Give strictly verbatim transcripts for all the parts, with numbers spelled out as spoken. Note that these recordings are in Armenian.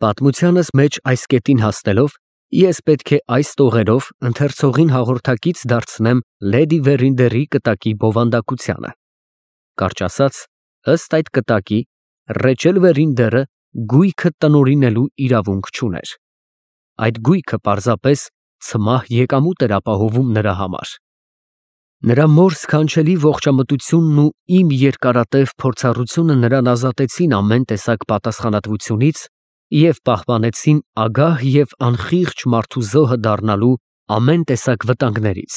Պատմությանս մեջ այս կետին հասնելով, ես պետք է այս տողերով ընթերցողին հաղորդակից դարձնեմ լեդի Վերինդերի կտակի բովանդակությանը։ Կարճ ասած, ըստ այդ կտակի, Ռեչել Վերինդերը գույքը տնօրինելու իրավունք չուներ։ Այդ գույքը պարզապես ցմահ եկամուտ էր ապահովում նրա համար։ Նրա մոր սքանչելի ողջամտությունն ու իմ երկարատև փորձառությունը նրան ազատեցին ամեն տեսակ պատասխանատվությունից և պահպանեցին ագահ և անխիղճ մարդու զոհը դառնալու ամեն տեսակ վտանգներից։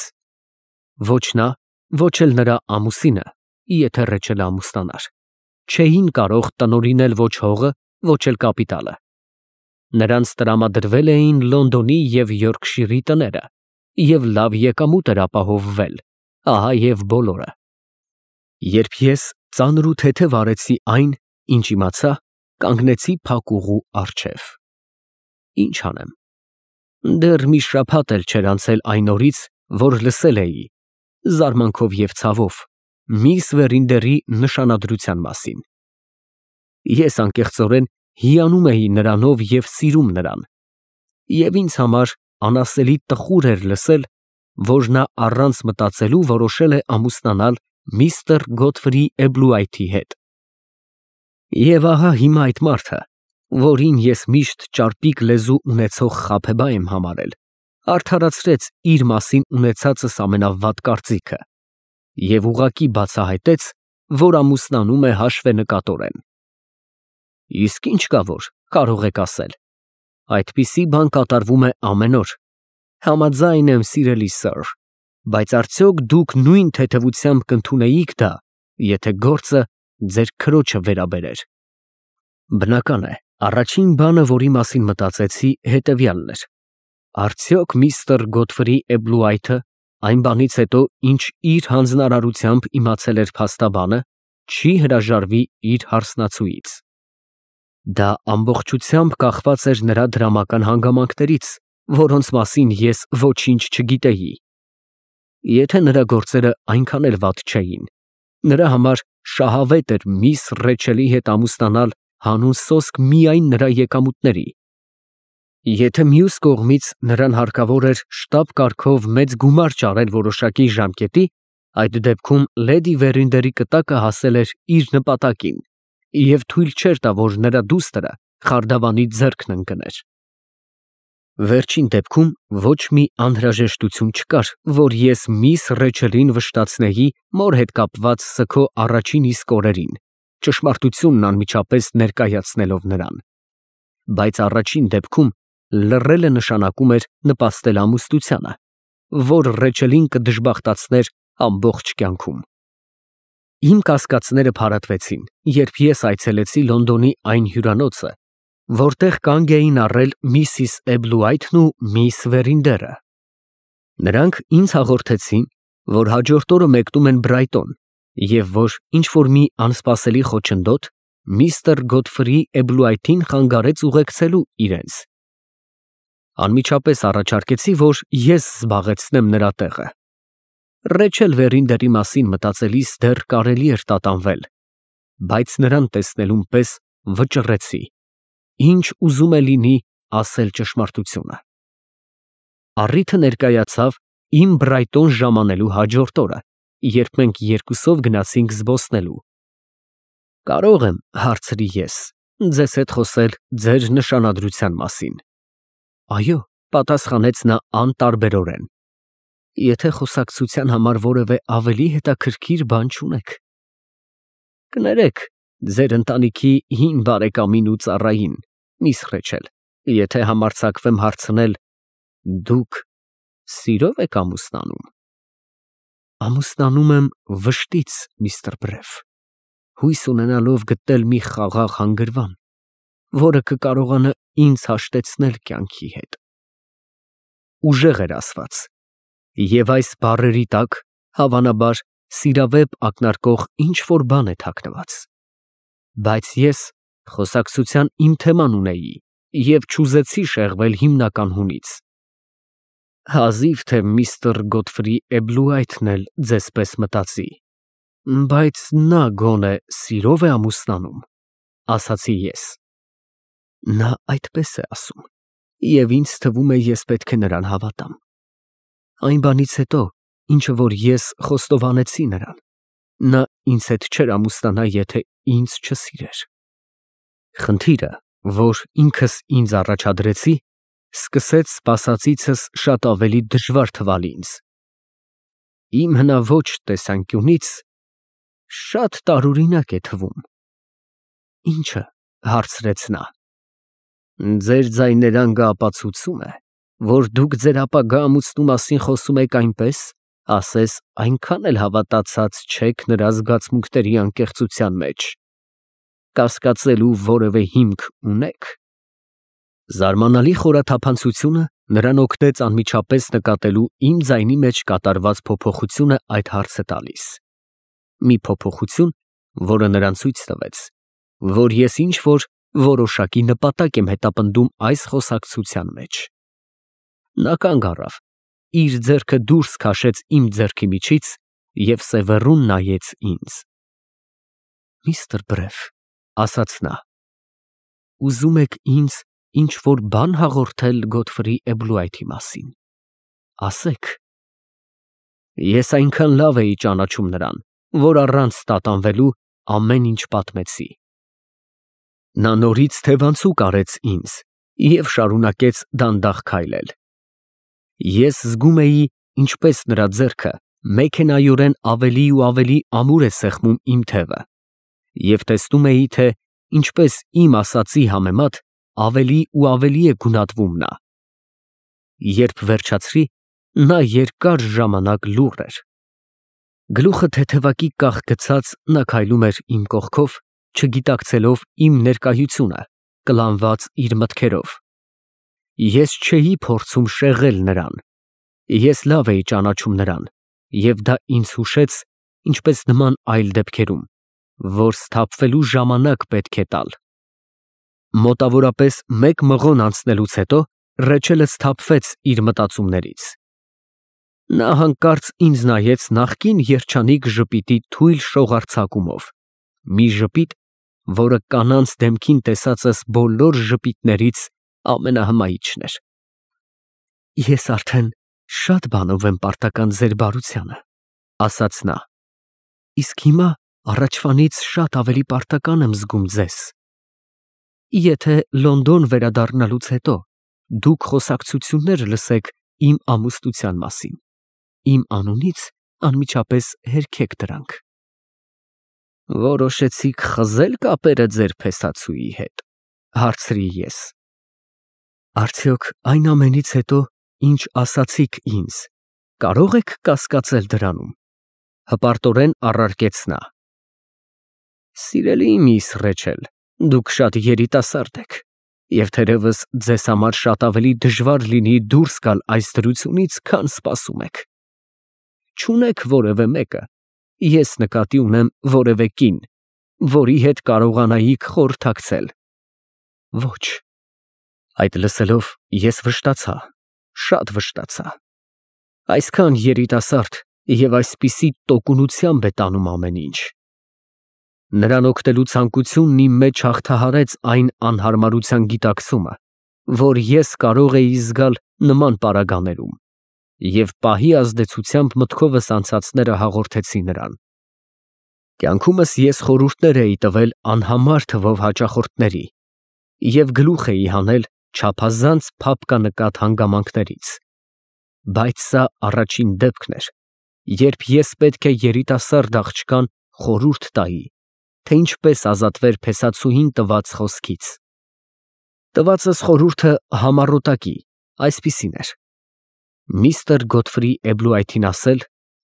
Ոչ նա, ոչ էլ նրա ամուսինը, եթե Ռեչելը ամուսնանար, չէին կարող տնօրինել ոչ հողը, ոչ էլ կապիտալը։ Նրանց տրամադրվել էին Լոնդոնի և Յորքշիրի տները, և լավ եկամուտ էր ապահովվել, ահա և բոլորը։ Երբ ես ծանր ու թեթև արեցի այն, ինչ իմացա, կանգնեցի փակուղու առջև։ Ինչ անեմ, դեռ մի շաբաթ էլ չէր անցել այն օրից, որ լսել էի, զարմանքով և ցավով, միս Վերինդերի նշանադրության մասին։ Ես անկեղծորեն հիանում էի նրանով և սիրում նրան, և ինձ համար անասելի տխուր էր լսել, որ նա առանց մտածելու որոշել է ամուսնանալ միստր Գոթֆրի Էբլուայթի հետ։ Եվ ահա հիմա այդ մարդը, որին ես միշտ ճարպիկ լեզու ունեցող Խաբեբա եմ համարել, արդարացրեց իր մասին ունեցածս ամենավատ կարծիքը և ուղղակի բացահայտեց, որ ամուսնանում է հաշվենկատորեն։ Իսկ ի՞նչ կա, որ կարող եք ասել, այդպիսի բան կատարվում է ամեն օր։ Համաձայն եմ, սիրելի սըր, բայց արդյոք դուք նույն թեթևությամբ կընդունեիք դա, եթե գործը ձեր քրոջը վերաբերեր։ Բնական է, առաջին բանը, որի մասին մտածեցի, հետևյալն էր. արդյոք միստր Գոթֆրի Էբլուայթը այն բանից հետո, ինչ իր հանձնարարությամբ իմացել էր փաստաբանը, չի հրաժարվի իր հարսնացուից։ Դա ամբողջությամբ կախված էր նրա դրամական հանգամանքներից, որոնց մասին ես ոչինչ չգիտեի։ Եթե նրա գործերը այնքան էլ վատ չէին, նրա համար շահավետ էր միս Ռեչելի հետ ամուսնանալ հանուն սոսկ միայն նրա եկամուտների։ Եթե մյուս կողմից նրան հարկավոր էր շտապ կարգով մեծ գումար ճարել որոշակի ժամկետի, այդ դեպքում լեդի Վերինդերի կտակը հասել էր իր նպատակին և թույլ չէր տա, որ նրա դուստրը խարդավանի ձեռքն ընկներ։ Վերջին դեպքում ոչ մի անհրաժեշտություն չկար, որ ես միս Ռեչելին վշտացնեի մոր հետ կապված սգո առաջին իսկ օրերին, ճշմարտությունն անմիջապես ներկայացնելով նրան։ Բայց առաջին դեպքում լռելը նշանակում էր նպաստել ամուսնությանը, որ Ռեչելին կդժբախտացներ ամբողջ կյանքում։ Իմ կասկածները փարատվեցին, երբ ես այցելեցի Լոնդոնի այն հյուրանոցը, որտեղ կանգ էին առել միսիս Էբլուայթն ու միս Վերինդերը։ Նրանք ինձ հաղորդեցին, որ հաջորդ օրը մեկնում են Բրայտոն և որ ինչ֊որ մի անսպասելի խոչընդոտ միստր Գոթֆրի Էբլուայթին խանգարեց ուղեկցելու իրենց։ Անմիջապես առաջարկեցի, որ ես զբաղեցնեմ նրա տեղը։ Ռեչել Վերինդերի մասին մտածելիս դեռ կարելի էր տատանվել, բայց նրան տեսնելուն պես վճռեցի, ինչ ուզում է լինի ասել ճշմարտությունը։ Առիթը ներկայացավ իմ Բրայտոն ժամանելու հաջորդ օրը, երբ մենք երկուսով գնացինք զբոսնելու։ Կարո՞ղ եմ, հարցրի ես, ձեզ հետ խոսել ձեր նշանադրության մասին։ Այո, պատասխանեց նա անտարբերորեն։ Եթե խոսակցության համար որևէ ավելի հետաքրքիր բան չունեք։ Կներեք ձեր ընտանիքի հին բարեկամին ու ծառային, միս Ռեչել, եթե համարձակվեմ հարցնել, դուք սիրո՞վ եք ամուսնանում։ Ամուսնանում եմ վշտից, միստր Բրեֆ, հույս ունենալով գտնել մի խաղաղ հանգրվան, որը կկարողանա ինձ հաշտեցնել կյանքի հետ։ Ուժեղ էր ասված, և այս բառերի տակ, հավանաբար, սիրավեպ ակնարկող ինչ֊որ բան է թաքնված։ Բայց ես խոսակցության իմ թեման ունեի և չուզեցի շեղվել հիմնական հունից։ Հազիվ թե միստր Գոթֆրի Էբլուայթն էլ ձեզ պես մտածի, բայց նա գոնե սիրո՞վ է ամուսնանում, ասացի ես։ Նա այդպես է ասում, և ինձ թվում է, ես պետք է նրան հավատամ։ Այն բանից հետո, ինչը որ ես խոստովանեցի նրան, նա ինձ հետ չէր ամուսնանա, եթե ինձ չսիրեր։ Խնդիրը, որ ինքս ինձ առաջադրեցի, սկսեց սպասածիցս շատ ավելի դժվար թվալ ինձ։ Իմ հնաոճ տեսանկյունից շատ տարօրինակ է թվում։ Ի՞նչը, հարցրեց նա։ Ձեր ձայներանգը ապացուցում է, որ դուք ձեր ապագա ամուսնու մասին խոսում եք այնպես, ասես այնքան էլ հավատացած չեք նրա զգացմունքների անկեղծության մեջ։ Կասկածելու որևէ հիմք ունե՞ք։ Զարմանալի խորաթափանցությունը նրան օգնեց անմիջապես նկատելու իմ ձայնի մեջ կատարված փոփոխությունը այդ հարցը տալիս։ Մի փոփոխություն, որը նրան ցույց տվեց, որ ես ինչ-որ որոշակի նպատակ եմ հետապնդում այս խոսակցության մեջ։ Նա կանգ առավ, իր ձեռքը դուրս քաշեց իմ ձեռքի միջից և սևեռուն նայեց ինձ։ Միստր Բրեֆ, ասաց նա, ուզում եք ինձ ինչ-որ բան հաղորդել Գոթֆրի Էբլուայթի մասին, ասեք։ Ես այնքան լավ էի ճանաչում նրան, որ առանց տատանվելու ամեն ինչ պատմեցի։ Նա նորից թևանցուկ արեց ինձ և շարունակեց դանդաղ քայլել։ Ես զգում էի, ինչպես նրա ձեռքը մեքենայորեն ավելի ու ավելի ամուր է սեղմում իմ թևը, և տեսնում էի, թե ինչպես իմ ասածի համեմատ ավելի ու ավելի է գունատվում նա։ Երբ վերջացրի, նա երկար ժամանակ լուռ էր։ Գլուխը թեթևակի կախ գցած նա քայլում էր իմ կողքով, չգիտակցելով իմ ներկայությունը, կլանված իր մտքերով։ Ես չէի փորձում շեղել նրան։ Ես լավ էի ճանաչում նրան, և դա ինձ հուշեց, ինչպես նման այլ դեպքերում, որ սթափվելու ժամանակ պետք է տալ։ Մոտավորապես մեկ մղոն անցնելուց հետո Ռեչելը սթափվեց իր մտածումներից։ Նա հանկարծ ինձ նայեց նախկին երջանիկ ժպիտի թույլ շողարձակումով, մի ժպիտ, որը կանանց դեմքին տեսածս բոլոր ժպիտներից ամենահմայիչն էր։ Ես արդեն շատ բանով եմ պարտական ձեր բարությանը, ասաց նա, իսկ հիմա առաջվանից շատ ավելի պարտական եմ զգում ձեզ։ Եթե Լոնդոն վերադառնալուց հետո դուք խոսակցություններ լսեք իմ ամուսնության մասին, իմ անունից անմիջապես հերքեք դրանք։ Որոշեցիք խզել կապերը ձեր փեսացուի հետ, հարցրի ես։ Արդյոք այն ամենից հետո, ինչ ասացիք ինձ, կարո՞ղ եք կասկածել դրանում, հպարտորեն առարկեց նա։ Սիրելի միս Ռեչել, դուք շատ երիտասարդ եք, և թերևս ձեզ համար շատ ավելի դժվար լինի դուրս գալ այս դրությունից, քան սպասում եք։ Չունեք որևէ մեկը, ես նկատի ունեմ որևէ կին, որի հետ կարողանայիք խորհրդակցել։ Ոչ։ Այդ լսելով ես վշտացա, շատ վշտացա։ Այսքան երիտասարդ և այսպիսի տոկունությամբ է տանում ամեն ինչ։ Նրան օգնելու ցանկությունն իմ մեջ հաղթահարեց այն անհարմարության գիտակցումը, որ ես կարող էի զգալ նման պարագաներում, և պահի ազդեցությամբ մտքովս անցածները հաղորդեցի նրան։ Կյանքումս ես խորհուրդներ էի տվել անհամար թվով հաճախորդների և գլուխ էի հանել չափազանց փափկանկատ հանգամանքներից, բայց սա առաջին դեպքն էր, երբ ես պետք է երիտասարդ աղջկան խորհուրդ տայի, թե ինչպես ազատվեր փեսացուհին տված խոսքից։ Տվածս խորհուրդը համառոտակի, այսպիսին էր. միստր Գոթֆրի Էբլուայթին ասել,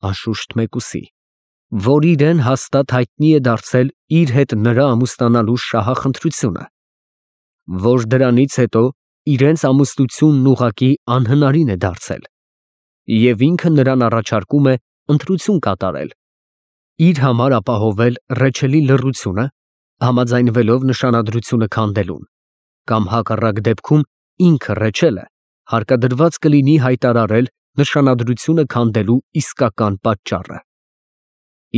անշուշտ մեկուսի, որ իրեն հաստատ հայտնի է դարձել իր հետ նրա ամուսնանալու շահախնդրությունը, որ դրանից հետո իրենց ամուսնությունն ուղղակի անհնարին է դարձել, և ինքը նրան առաջարկում է ընտրություն կատարել, իր համար ապահովել Ռեչելի լռությունը, համաձայնվելով նշանադրությունը քանդելուն, կամ հակառակ դեպքում ինքը Ռեչելը հարկադրված կլինի հայտարարել նշանադրությունը քանդելու իսկական պատճառը։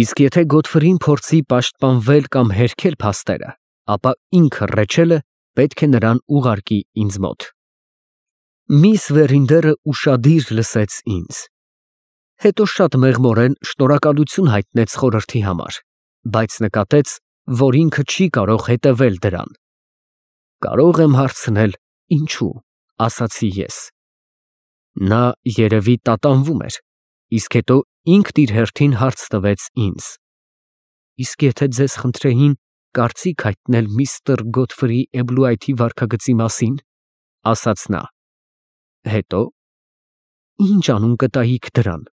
Իսկ եթե Գոթֆրին փորձի պաշտպանվել կամ հերքել փաստերը, ապա ինքը Ռեչելը պետք է նրան ուղարկի ինձ մոտ։ Միս Վերինդերը ուշադիր լսեց ինձ։ Հետո շատ մեղմորեն շնորհակալություն հայտնեց խորհրդի համար, բայց նկատեց, որ ինքը չի կարող հետևել դրան։ Կարող եմ հարցնել, ինչու, ասացի ես։ Նա երևի տատանվում էր, իսկ հետո ինքն իր հերթին հարց տվեց ինձ. Իսկ եթե ձեզ խնդրեին կարծիք հայտնել միստր Գոթֆրի Էբլուայթի վարքագծի մասին, ասաց նա, հետո ինչ անուն կտայիք դրան։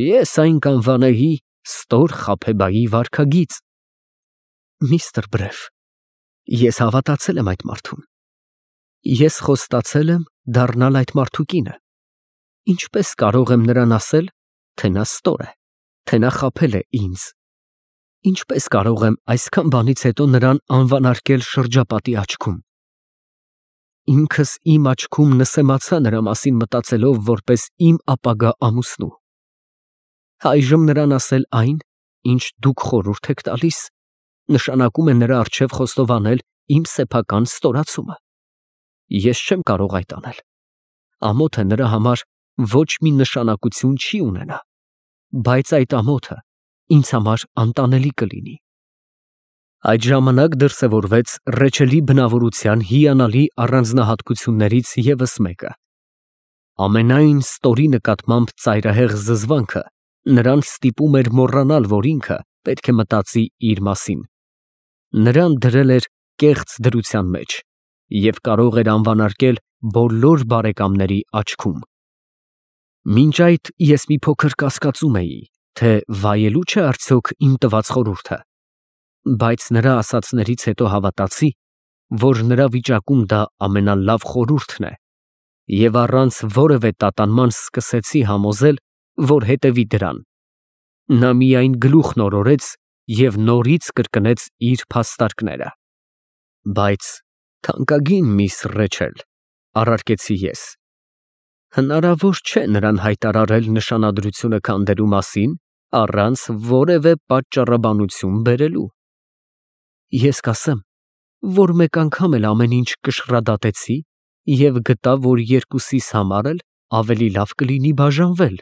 Ես այն կանվանեի Ստոր Խաբեբայի վարքագիծ։ Միստր Բրեֆ, ես հավատացել եմ այդ մարդուն։ Ես խոստացել եմ դառնալ այդ մարդու կինը։ Ինչպես կարող եմ նրան ասել, թե նա ստոր է, թե նա խաբել է ինձ։ Ինչպես կարող եմ այսքան բանից հետո նրան անվանարկել շրջապատի աչքում։ Ինքս իմ աչքում նսեմացա նրա մասին մտածելով որպես իմ ապագա ամուսնու։ Այժմ նրան ասել այն, ինչ դուք խորհուրդ եք տալիս, նշանակում է նրա առջև խոստովանել իմ սեփական ստորացումը։ Ես չեմ կարող այդ անել։ Ամոթը նրա համար ոչ մի նշանակություն չի ունենա, բայց այդ ամոթը ինձ համար անտանելի կլինի։ Այդ ժամանակ դրսևորվեց Ռեչելի բնավորության հիանալի առանձնահատկություններից ևս մեկը։ Ամենայն ստորի նկատմամբ ծայրահեղ զզվանքը նրան ստիպում էր մոռանալ, որ ինքը պետք է մտածի իր մասին։ Նրան դրել էր կեղծ դրության մեջ և կարող էր անվանարկել բոլոր բարեկամների աչքում։ Մինչ այդ ես մի փոքր կասկածում էի, թե վայելու չէ արդյոք իմ տված խորհուրդը, բայց նրա ասացներից հետո հավատացի, որ նրա վիճակում դա ամենալավ խորհուրդն է, և առանց որևէ տատանման սկսեցի համոզել, որ հետևի դրան։ Նա միայն գլուխն օրորեց և նորից կրկնեց իր փաստարկները։ Բայց թանկագին միս Ռեչել, առարկեցի ես, հնարավոր չէ նրան հայտարարել նշանադրությունը քանդելու մասին առանց որևէ պատճառաբանություն բերելու։ Ես կասեմ, որ մեկ անգամ էլ ամեն ինչ կշռադատեցի և գտա, որ երկուսիս համար էլ ավելի լավ կլինի բաժանվել։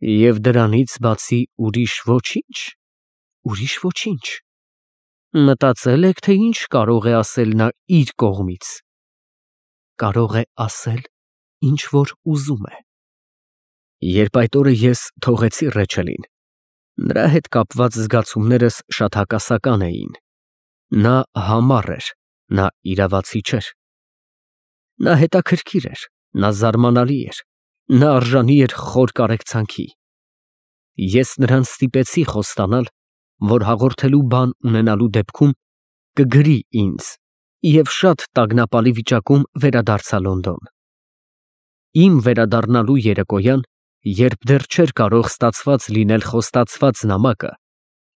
Եվ դրանից բացի ուրիշ ոչինչ, ուրիշ ոչինչ։ Մտածել եք, թե ինչ կարող է ասել նա իր կողմից։ Կարող է ասել, ինչ որ ուզում է։ Երբ այդ օրը ես թողեցի Ռեչելին, նրա հետ կապված զգացումներս շատ հակասական էին։ Նա համառ էր, նա իրավացի չէր։ Նա հետաքրքիր էր, նա զարմանալի էր, նա արժանի էր խոր կարեկցանքի։ Ես նրան ստիպեցի խոստանալ, որ հաղորդելու բան ունենալու դեպքում կգրի ինձ և շատ տագնապալի վիճակում վերադարձա Լոնդոն։ Իմ վերադառնալու երեկոյան, երբ դեռ չէր կարող ստացված լինել խոստացված նամակը,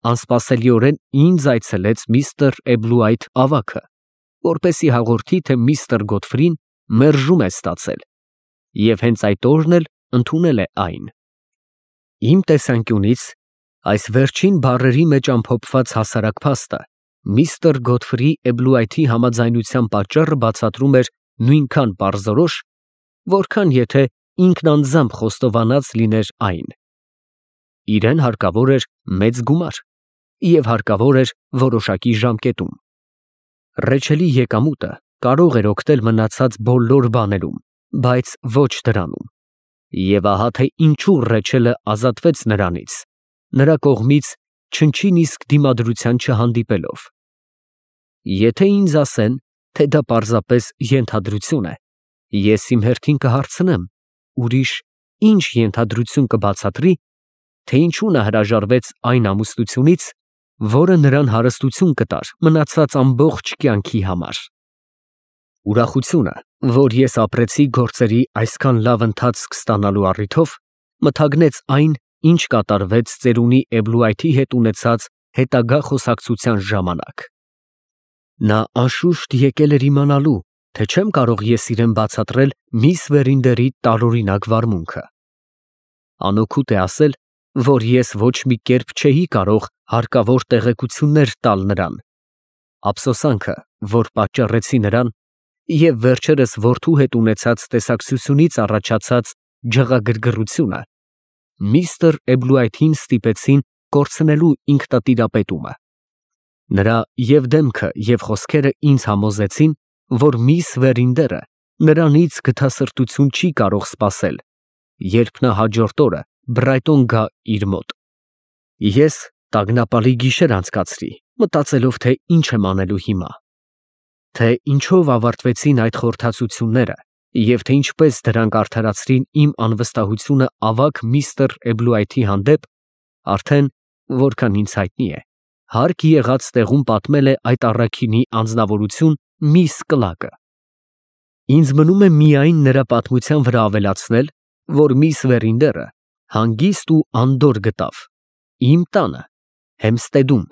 անսպասելիորեն ինձ այցելեց միստր Էբլուայթ ավագը, որպեսզի հաղորդի, թե միստր Գոթֆրին մերժում է ստացել և հենց այդ օրն էլ ընդունել է այն։ Իմ տեսանկյունից այս վերջին բառերի մեջ ամփոփված հասարակ փաստը միստր Գոթֆրի Էբլուայթի համաձայնության պատճառը բացատրում էր նույնքան պարզորոշ, որքան եթե ինքն անձամբ խոստովանած լիներ այն։ Իրեն հարկավոր էր մեծ գումար և հարկավոր էր որոշակի ժամկետում։ Ռեչելի եկամուտը կարող էր օգնել մնացած բոլոր բաներում, բայց ոչ դրանում։ Եվ ահա թե ինչու Ռեչելը ազատվեց նրանից, նրա կողմից չնչին իսկ դիմադրության չհանդիպելով։ Եթե ինձ ասեն, թե դա պարզապես ենթադրություն է, ես իմ հերթին կհարցնեմ, ուրիշ ինչ ենթադրություն կբացատրի, թե ինչու նա հրաժարվեց այն ամուսնությունից, որը նրան հարստություն կտար մնացած ամբողջ կյանքի համար։ Ուրախությունը, որ ես ապրեցի գործերի այսքան լավ ընթացք ստանալու առիթով, մթագնեց այն, ինչ կատարվեց ծերունի Էբլուայթի հետ ունեցած հետագա խոսակցության ժամանակ։ Նա անշուշտ եկել էր իմանալու, թե չեմ կարող ես իրեն բացատրել միս Վերինդերի տարօրինակ վարմունքը։ Անօգուտ է ասել, որ ես ոչ մի կերպ չէի կարող հարկավոր տեղեկություններ տալ նրան, ափսոսանքը, որ պատճառեցի նրան, և վերջերս որդու հետ ունեցած տեսակցությունից առաջացած ջղագրգռությունը միստր Էբլուայթին ստիպեցին կորցնելու ինքնատիրապետումը։ Նրա և դեմքը, և խոսքերը ինձ համոզեցին, որ միս Վերինդերը նրանից գթասրտություն չի կարող սպասել, երբ նա հաջորդ օրը Բրայտոն գա իր մոտ։ Ես տագնապալի գիշեր անցկացրի, մտածելով, թե ինչ եմ անելու հիմա, թե ինչով ավարտվեցին այդ խորհրդածությունները և թե ինչպես դրանք արդարացրին իմ անվստահությունը ավագ միստր Էբլուայթի հանդեպ, արդեն, որքան ինձ հայտնի է, հարկ եղած տեղում պատմել է այդ առաքինի անձնավորություն միս Կլակը։ Ինձ մնում է միայն նրա պատմության վրա ավելացնել, որ միս Վերինդերը հանգիստ ու անդորր գտավ իմ տանը Հեմստեդում։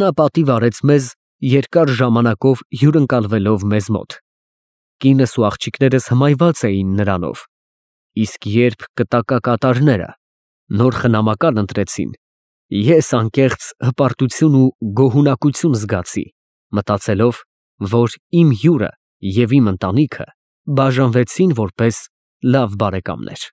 Նա պատիվ արեց մեզ երկար ժամանակով հյուրընկալվելով մեզ մոտ։ Կինս ու աղջիկներս հմայված էին նրանով, իսկ երբ կտակակատարները նոր խնամակալ ընտրեցին, ես անկեղծ հպարտություն ու գոհունակություն զգացի, մտածելով, որ իմ հյուրը և իմ ընտանիքը բաժանվեցին որպես լավ բարեկամներ։